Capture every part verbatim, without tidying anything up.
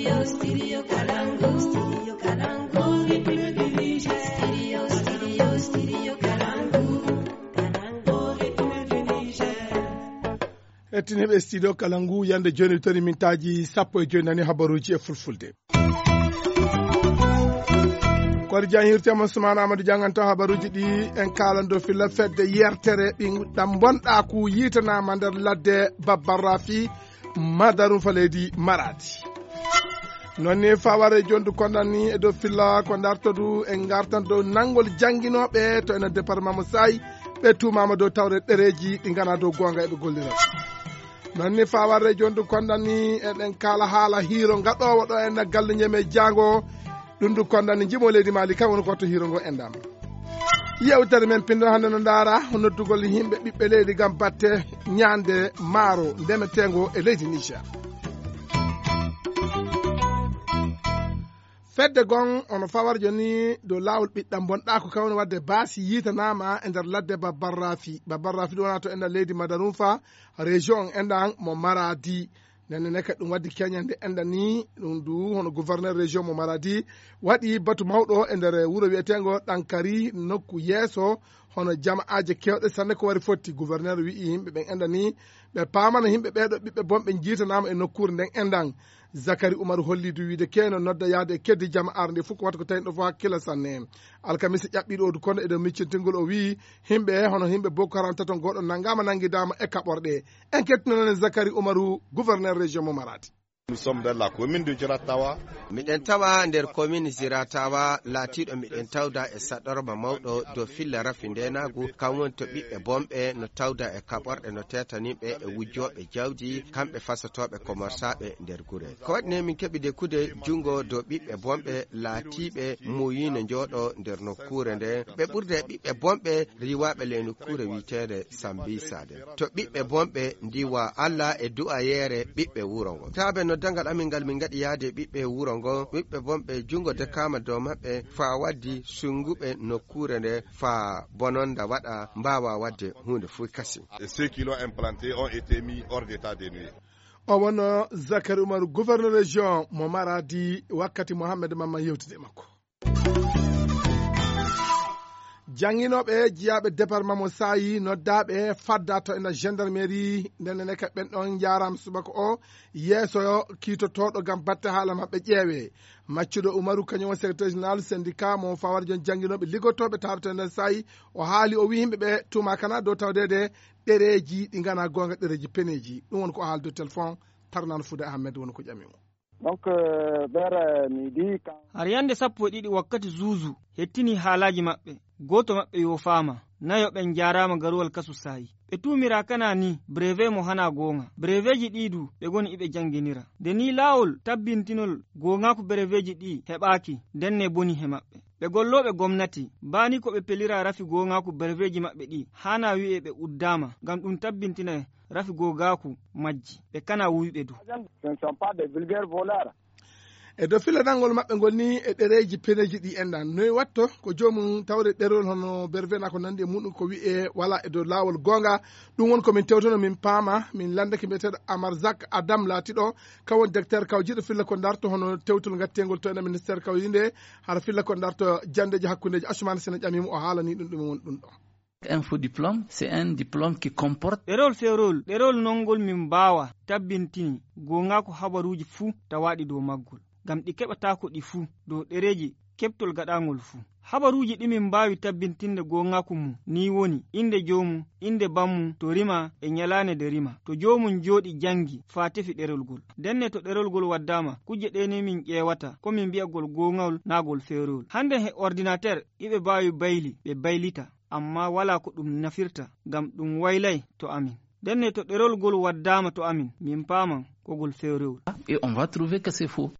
Studio, studio Kalangu. Studio Kalangu. Studio, studio, studio Kalangu. Kalangu. Ettiniɓe studio Kalangu yande joni tori mintaji sappo e joyi nani habaruji e fulfulde. Kono jan hirtema Soumana Amadou janganta habaruji ɗi en kalando filla fedde yertere ɗam bonɗa ku yitanama nder ladde Babbarrafi Madarum Faleydi Maradi. Nonni faware jondu kondani e do filla ko dartodu en gartan do nangol janginoɓe to ena département mo Sayi ɓe tumama dow tawre ɗereji ɗi gana dow gonga eɓe gollira. Nonni faware jondu kondani eɗen kala haala hiro gaɗowo ɗo en galle ñeme jango ɗum du kondani jimo leydi Mali kam woni ko to hiro ngo endama. Yewtere men pindo hande no ndara noddugol himɓe ɓiɓɓe leydi gam batte ñande maaro ndemetengo e leydi Niger. Fedde gon ono fawar joni do lawol ɓiɗɗam bonɗa ko kawni wadde baasi yitanama e nder ladde Babbarrafi. Babbarrafi ɗo wona to enda leydi Madarum fa région endan mo Maradi. nenne neka ɗum waddi keñande enɗa ni ɗum du hono gouverneur région mo Maradi waɗi batu mawɗo e nder wuro wiyetengo ɗankari nokku yeeso hono jama'aje kewɗe sanne ko wari fotti. Gouverneur wi'i yimɓe ɓen enɗa ni ɓe paamana yimɓe ɓeɗo ɓiɓɓe bonɓe jiitanama e nokkure nden endan. Zakari Umaru holli du wiide keno nodda yaade keddi jama'ar nde fof ko watta ko tawi ɗo fof hakkilla sanne. Alkamisa ƴaɓɓiɗo odu kono eɗen miccintingol o wi himɓe hono himɓe Boko Haram taton goɗo nangama nanguidama e kaɓorɗe. En kettinonene Zakari Umaru gouverneur région mo Maradi. Nous sommes dans la commune de Jiratawa. Miɗen tawa nder commune Jiratawa laatiɗo miɗen tawda e saɗorma mawɗo dow filla rafi ndenagu kam woni to ɓiɓɓe bomɓe no tawda e kaɓorɗe no tetaniɓe e wujjoɓe jawdi kamɓe fasotoɓe commerçaɓe nder gure. Ko waɗi ne min keɓi dekkude jungo dow ɓiɓɓe bomɓe laatiɓe muyino jooɗo nder nokkure nde ɓe ɓurde ɓiɓɓe bomɓe riwaɓe le nokkure wiitede Sambisade. To ɓiɓɓe bomɓe ndiwa Allah e du'ayere ɓiɓɓe wuro ngo. Taɓe no dangal amin ngal min gaɗi yaade ɓiɓɓe wuro ngo ɓiɓɓe bomɓe jungo dekama dow maɓɓe fa waddi sunguɓe nokkure nde fa bononda waɗa mbawa wadde hunde fu kasi. Et ceux qui l'ont implanté ont été mis hors d'état de nuire. O wono Zakari Umaru gouverneur région mo Maradi wakkati Mohamed Mamma yewtide makko. Janginoɓe jiyaɓe département mo Sayi noddaɓe fadda to ena gendarmerie ndenne ka ɓen ɗon jaram subaka o yeeso kiitotoɗo gam batte haala mabɓe ƴeewe. Maccuɗo Umaru kañum woni secrétaire général syndicat mo fawar jon janginoɓe liggotoɓe tawde to nder Sayi o haali o wi yimɓeɓe tuma kana dow tawdede ɗereji ɗi gana gonga ɗereji peneji. ɗum woni ko o haalde téléphone Tarnane Fouda Ahmed woni ko ƴamimo. donc vers midi har yande sappo e ɗiɗi wakkati zuuzu hettini haalaji maɓɓe. Goto maɓɓe yo fama nayo ɓen jarama garuwal kasu Sayi. Ɓe tumira kana ni brevet mo hana gonga. Breveji ɗiɗu ɓe goni iɓe janginira. De ni lawol tabbintinol gongaku breveji ɗi heɓaki denne boni he maɓɓe. Ɓe golloɓe gomnati bani ko ɓe pelira rafi gongaku breveji maɓɓe ɗi hana wi'e ɓe uddama ngam ɗum tabbintina rafi gogaku majji ɓe kana wuyɓe du. E dow filanangol maɓɓe ngol ni e ɗereji peneji ɗi endan noyi watto ko jomum tawde ɗerol hono bervena ko nandi e muɗum ko wi'e wala e dow lawol gonga. Ɗum won komin tewtono min paama min landake mbiyeteɗo Amar Zak Adam laatiɗo kawon docteur kawjiɗo filla ko darto hono tewtol gattengol to ena ministére kawjinde hara filla ko darto jandeji hakkudeji Assoumane Sene ƴamimo o haalani ɗum ɗum won ɗum ɗo. Info diplôme, c'est un diplôme qui comporte ɗerol ferol ɗerol nongol min mbawa tabbintini gongako habaruji fuu tawaɗi dow maggol gam ɗi keɓatako ɗi fuu dow ɗereji keɓtol gaɗangol fuu. Habaruji ɗi min mbawi tabbintinde gongaku mum ni woni inde jomum, inde bammum to rima e nyalane de rima, to jomum joɗi jangi fa tefi ɗerol gol. Denne to ɗerol gol waddama kuje ɗene min ƴewata ko min mbi'agol gongawol nagol ferol. Hande he ordinateur iɓe mbawi bayli ɓe baylita amma wala ko ɗum nafirta gam ɗum waylay to amin. Denne to ɗerol gol waddama to amin min paman kogol ferol. Et on va trouver que c'est faux.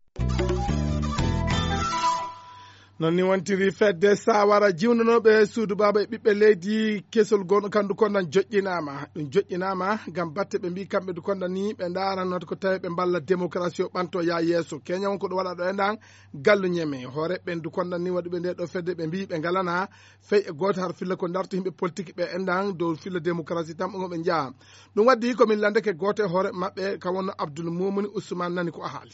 non ni wontiri fedde sawara jiwnonoɓe suudu baba e ɓiɓɓe leydi kesol gonɗo kandu kondan joƴƴinama ɗum joƴƴinama gam batte ɓe mbi kamɓe du kondan ni ɓe darannoto ko tawi ɓe mballa démocratie o ɓanto ya yesso keña won ko ɗum waɗa ɗo e ndan gallu ñeme hoore ɓen du kondan ni waɗuɓe nde ɗo fedde ɓe mbi ɓe galana fey e goto har filla ko darto yimɓe politique ɓe e ndan dow filla démocratie tan ɓe ɓe jaa ɗum waddi komin landeke goto e hoore mabɓe ka wonno Abdoul Moumouni Ousmane nani ko a haali.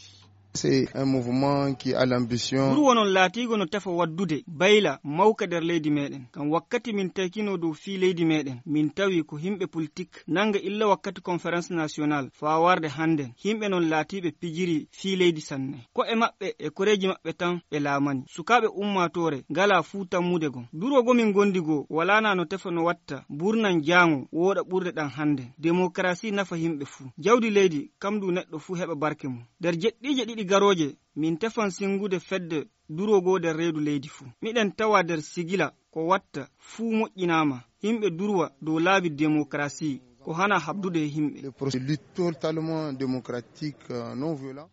C'est un mouvement qui a l'ambition. Ɓuri wonon laatigo no tefa waddude bayla mawka nder leydi meɗen. Ngam wakkati min takino dow fii leydi meɗen, min tawi ko himɓe politique nanga illa wakkati conférence nationale faa warde hannden. Himɓe non laatiɓe pijiri fii leydi sanne. Ko e maɓɓe e koreji maɓɓe tan ɓe laamani. Sukaaɓe ummatore ngala fuu tammude gon. Durwogo min gondi go walana no tefa no watta burnan jaango woɗa ɓurde ɗan hannden. Démocratie nafa himɓe fuu. Jawdi leydi kam du neɗɗo fuu heɓa barke mum. Nder jeɗɗije ɗiɗi garoje min tefan singude fedde durogo nder reedu leydi fuu. Miɗen tawa nder sigila ko watta fuu moƴƴinama. Himɓe durwa dow laabi démocratie ko hana habdude himɓe. Le processus totalement démocratique non violent.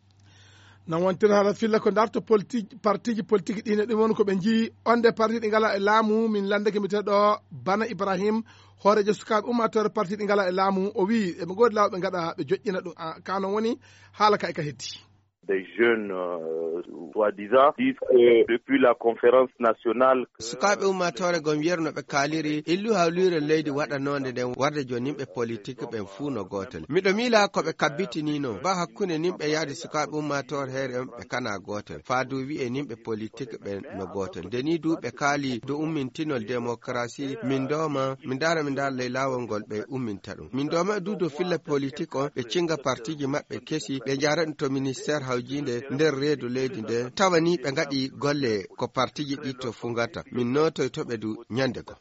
nan wontiri haala filla ko darto politique partiji politique ɗine ɗum woni ko ɓe jii onde parti ɗi ngala e laamu min landeke mbiteɗo Bana Ibrahim hoorejo sukaɓe ummatore parti ɗi ngala e laamu o wi eɓe goodi laawo ɓe gaɗa ɓe joƴƴina ɗum kanon woni haala ka e ka heddi. Des jeunes, euh, soi-disant, disent que depuis la conférence nationale... Sukaɓe ummatore gom yerno ɓe kaaliri illu hawlire leydi waɗanode nden warde joni nimɓe politique ɓen fuu no gotel. Miɗo miila ko ɓe kabbitinino ba hakkunde nimɓe yaadi sukaɓe ummatore heere on ɓe kana gotel. Faadu wi'e nimɓe politique ɓen no gotel. Deni du ɓe kaali do ummintinol démocratie min doma min dara min dara ley lawol ngol ɓe umminta ɗum. Min doma du do filla politique on ɓe cinga partiji maɓɓe kesi ɓe jara ɗum to ministére jinde nder reedu leydi nde tawani ɓe ngaɗi golle ko partiji ɗi to fu ngata min notoy to ɓe du ñande ko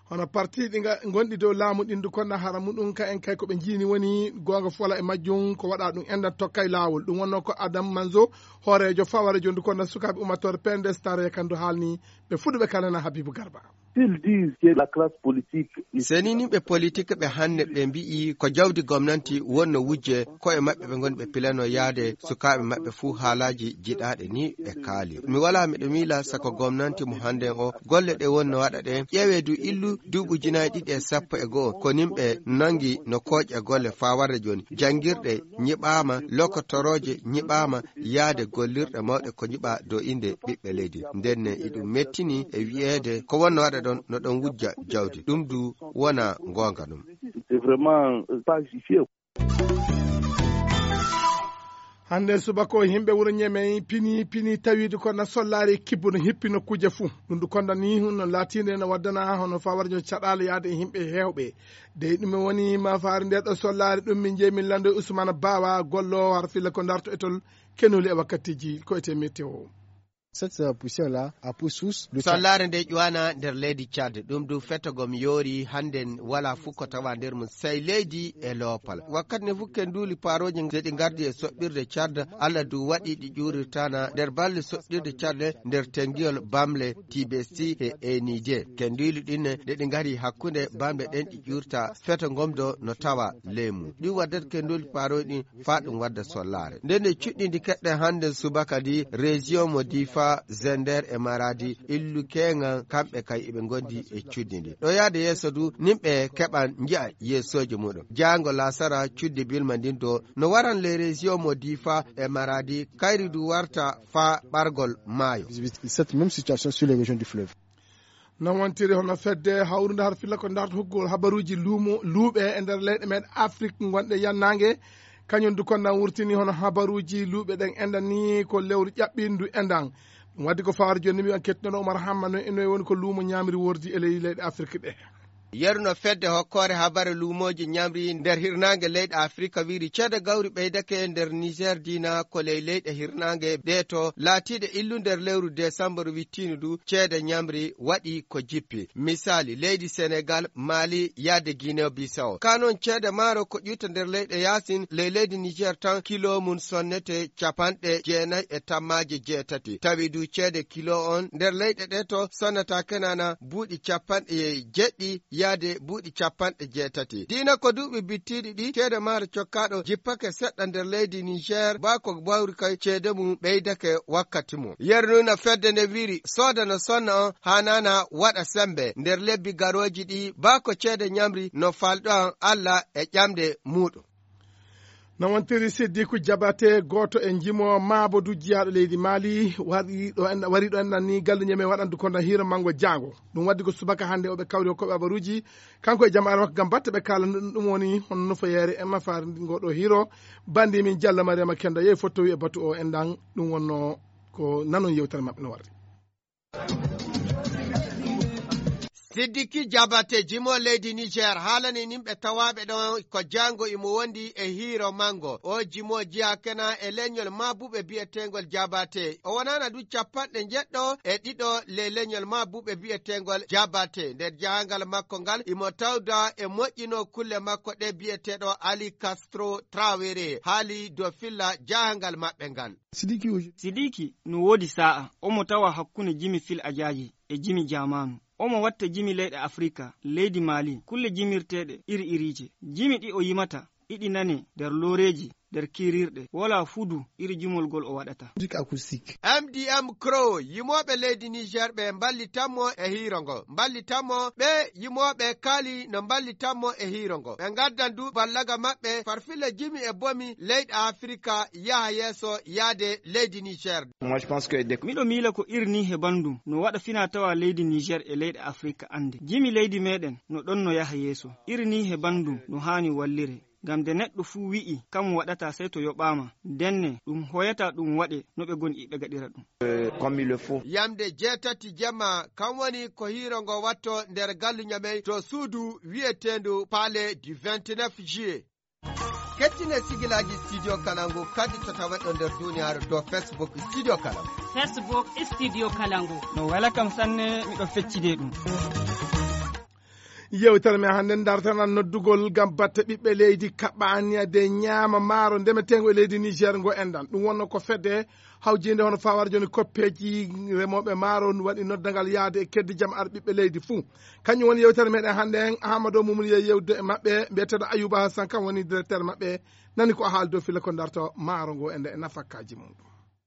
hono parti ɗi gonɗi dow laamu ɗin du konna hara muɗum ka en kay ko ɓe jiini woni gonga fola e majjum ko waɗa ɗum endan tokka e laawol ɗum wonno ko Adam Manzo hoorejo faware jondu konna sukaɓe ummatore P N D S tare kandu haalni ɓe fuɗuɓe kalana Habibou Garba. seni nimɓe politique ɓe hande ɓe mbi'i ko jawdi gomnanti wonno wujje koye maɓɓe ɓe goni ɓe pilano yaade sukaɓe maɓɓe fuu haalaji jiɗaɗe ni ɓe kaali. Mi wala miɗo miila sako gomnanti mo hande o golle ɗe wonno waɗa ɗe ƴeewe du illu duuɓi junayi ɗiɗi e sappo e goho ko nimɓe nangi no kooƴe golle faa warde joni jangirɗe nyiɓama lokotoroje nyiɓama yaade gollirɗe mawɗe ko nyiɓa dow inde ɓiɓɓe leydi ndenne iɗum mettini e wi'ede ko wonno waɗa ɗon no ɗon wujja jawdi ɗum du wona gonga ɗum. hande subako himɓe wuro ñeme pini pini tawide kono sollari kibbo no hippi nokkuje fuu ɗum du konda ni no latinde no waddana hono fawarjo caɗala yaade himɓe hewɓe de ɗum woni ma faari nde ɗo sollari ɗum min jeeyi min lando Ousmane Bawa gollo har filla ko darto etol kenoli e wakkatiji ko ete météo. Cette poussière-là a pour source le sollare nde ƴuwana nder leydi Tchad ɗum du fettogom yoori hannden wala fuu ko tawa nder mum sey leydi e loopal wakkati ne fukken duuli paroji nde ɗi gardi e soɓɓirde Tchad Allah du waɗi ɗi ƴurirtana nder balɗe soɓɓirde Tchad nder tengiyol bamle Tibesti e Enidé ken duuli ɗinne nde ɗi ngari hakkunde bamle ɗen ɗi ƴurta feto gomdo no tawa leymu ɗi waddat ken duuli paroji ɗin fa ɗum wadda sollare nden nde cuɗɗidi keɗɗen hannden subaka di région mo Difa Zender e Maradi illu kenga kamɓe kay iɓe gondi e cuddidi ɗo yaade yeeso du nimɓe keɓan jiya yeesoji muɗum jango lasara cuddi bilma ndin do no waran les régions mo Difa e Maradi kayri du warta fa ɓargol maayo. Cette même situation sur les régions du fleuve. non wontiri hono fedde hawrude har filla ko darto hoggol habaruji luumo luuɓe e nder leyɗe men Afrique gonɗe yannangue kañum du konna wurtini hono habaruji luuɓe ɗen endan ni ko lewru ƴaɓɓindu endan wadde ko fawar joni mi an kettinoɗo Oumar Hamma no eno woni ko luumo ñamri wordi e leydi Afrique ɗe yerno fedde hokkore habare luumoji ñamri nder hirnange leyɗe Afrique wiri ceede gawri ɓeydake nder Niger dina ko ley leyɗe hirnange ɗe to laatiɗe illu nder lewru décembre wittinu du ceede ñamri waɗi ko jippi misali leydi Sénégal Mali yadde Guinée Bissau kanon ceede maaro ko ƴutta nder leyɗe yasin ley leydi Niger tan kilo mum sonnete capanɗe jeenayi e tammaji jeetati tawi du ceede kilo on nder leyɗe ɗe to sonnata kenana buuɗi capanɗe jeɗɗi yaade buuɗi capanɗe jeetati dina ko duuɓi bittiɗi ɗi ceede maaro cokkaɗo jippake seɗɗa nder leydi Niger ba ko bawri kay ceede mum ɓeydake wakkati mum yernuna fedde nde wiri sooda no sonna on hanana waɗa sembe nder lebbi garoji ɗi ba ko ceede ñamri no falɗo an Allah e ƴamde muɗum. no wontiri Siddiku Jabate goto e jimo Mamadou jiyaɗo leydi Mali wari ɗo en wari ɗo enɗan ni galle nyeme waɗandu konda hiro mango jango ɗum waddi ko subaka hande oɓe kawri hokkoɓe habaruji kanko e jama'are makko gam batte ɓe kala ɗum woni hono nofoyere e mafari ngoɗo hiro bandi min Diallo Mariama Kenda yeyi fottowi e batu o enɗan ɗum wonno ko nanon yewtere mabɓe no warri. Siddiki Jabate jimo leydi Niger haalani nimɓe tawaɓe ɗon ko jango imo wondi e hiiro mango o jimo jiya kena e leñol mabuɓe bi'etengol Jabate o wonana du capanɗe jeɗɗo e ɗiɗo le leñol mabuɓe bi'etengol Jabate nder jahangal makko ngal imo tawda e moƴƴino kulle makko ɗe bi'eteɗo Ali Castro Traoré haali do filla jahangal maɓɓe ngal. Sidiki Sidiki no wodi sa'a omo tawa hakkunde jimi fil ajaji e jimi jamanu omo watta jimi leyɗe Afrika leydi Mali kulle jimirteɗe iri irije jimi ɗi o yimata iɗi nane nder loreji nder kirirɗe wala fudu iri jumolgol o waɗata. M D M Crow yimoɓe leydi Niger ɓe ballitanmo e hiirongo ballitanmo ɓe yimoɓe kaali no ballitanmo e hiirongo ɓe gaddan du ballaga maɓɓe farfille jimi e bomi leyɗe Afrika yaha yeeso yaade leydi Niger. Miɗo miila ko irni he bandum no waɗa fina tawa leydi Niger e leyɗe Afrika ande jimi leydi meɗen no ɗon no yaha yeeso irni he bandum no hani wallire gam de neɗɗo fuu wi'i kam waɗata sey to yoɓama denne ɗum hoyata ɗum waɗe no ɓe goni ɓe gaɗira ɗum yamde jeetati jemma kam woni ko hiirongo watto nder galluñamey to suudu wi'etendu Palais du vingt-neuf juillet. kettine sigilaji studio Kalangu kadi to taweɗo nder duniyaaru do Facebook studio Kalangu Facebook studio Kalangu no wala kam sanne miɗo feccide ɗum. Yewtere me hande dartanan noddugol gam batte ɓiɓɓe leydi kaɓaniyade ñaama maaro ndemetengo e leydi Niger ngo endan ɗum wonno ko fedde hawjinde hono fawar joni koppeji remoɓe maaro waɗi noddagal yaade e keddi jam ar ɓiɓɓe leydi fuu kañum woni yewtere meɗen hande hen Amadou Moumouni ye yewde e maɓɓe mbiyeteɗo Ayouba Hassan kam woni directeur maɓɓe nani ko haal dow filla ko darto maaro ngo ende e nafakkaji mum.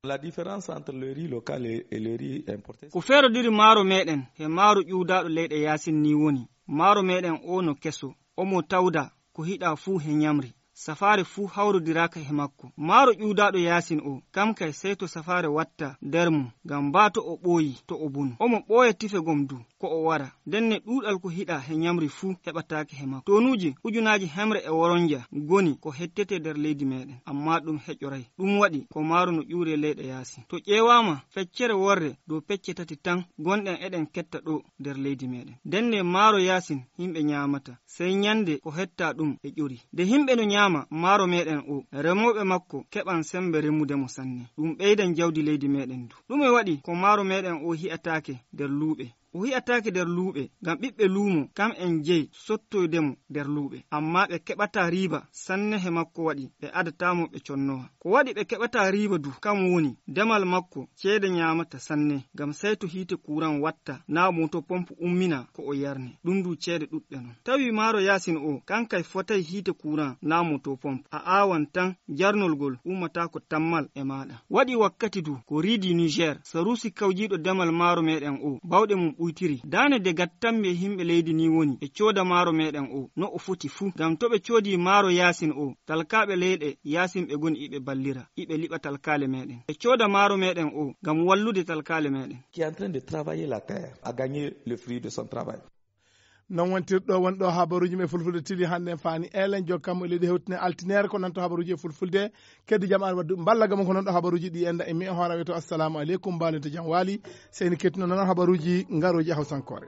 La différence entre le riz local et le riz importé ko feerodiri maaro meɗen he maaro ƴuwdaɗo leyɗe Yasin ni woni maaro meɗen o no keso omo tawda ko hiɗa fuu he nyamri safare fuu hawrodiraka he makko maaro ƴuwdaɗo Yasin o kam kay sey to safare watta nder mum ngam ba to o ɓooyi to o bunu omo ɓooya tife gom du ko o wara denne ɗuɗal ko hiɗa he nyamri fuu heɓatake he makko tonuji ujunaji hemre e woronja goni ko hettete nder leydi meɗen amma ɗum heƴoray ɗum waɗi ko maaro no ƴuure leyɗe Yasin to ƴeewama feccere worre dow pecce tati tan gonɗen eɗen ketta ɗo nder leydi meɗen denne maaro Yasin himɓe nyamata sey nyande ko hetta ɗum e ƴuri de himɓe no nyama maaro meɗen o remoɓe makko keɓan sembe remude mo sanne ɗum ɓeydan jawdi leydi meɗen du ɗume waɗi ko maaro meɗen o hi'atake nder luuɓe o hi'atake nder luuɓe ngam ɓiɓɓe luumo kam en jeyi sottoydemo nder luuɓe amma ɓe keɓata riba sanne he makko waɗi ɓe adatamo ɓe connowa ko waɗi ɓe keɓata riba du kam woni demal makko ceede nyamata sanne ngam sey to hiite kuran watta na moto pompe ummina ko o yarne ɗum du ceede ɗuɗɗe non tawi maaro Yasin o kankay fotay hiite kuran na moto pompe a awan tan jarnolgol ummata ko tammal e maɗa waɗi wakkati du ko riidi Niger sarusi kawjiɗo demal maaro meɗen o bawɗe mum ɓuytiri dane de gattanɓe himɓe leydi ni woni e cooda maaro meɗen o no o foti fuu ngam to ɓe coodi maaro Yasin o talkaɓe leyɗe Yasin ɓe goni iɓe ballira iɓe liɓa talkale meɗen ɓe cooda maaro meɗen o ngam wallude talkale meɗen qui est en train de travailler la terre a gagné le fruit de son travail. non wontirɗo wonɗo habaruji me fulfulde tili hande fani elen jokkam e leydi hewtine altinere ko nanto habaruji e fulfulde keddi jam an waddu ballaga mon ko non ɗo habaruji ɗi enda e mi e horawe to assalamu aleykum mbalente jam waali seyni kettino noon habaruji ngaroji hawsankore.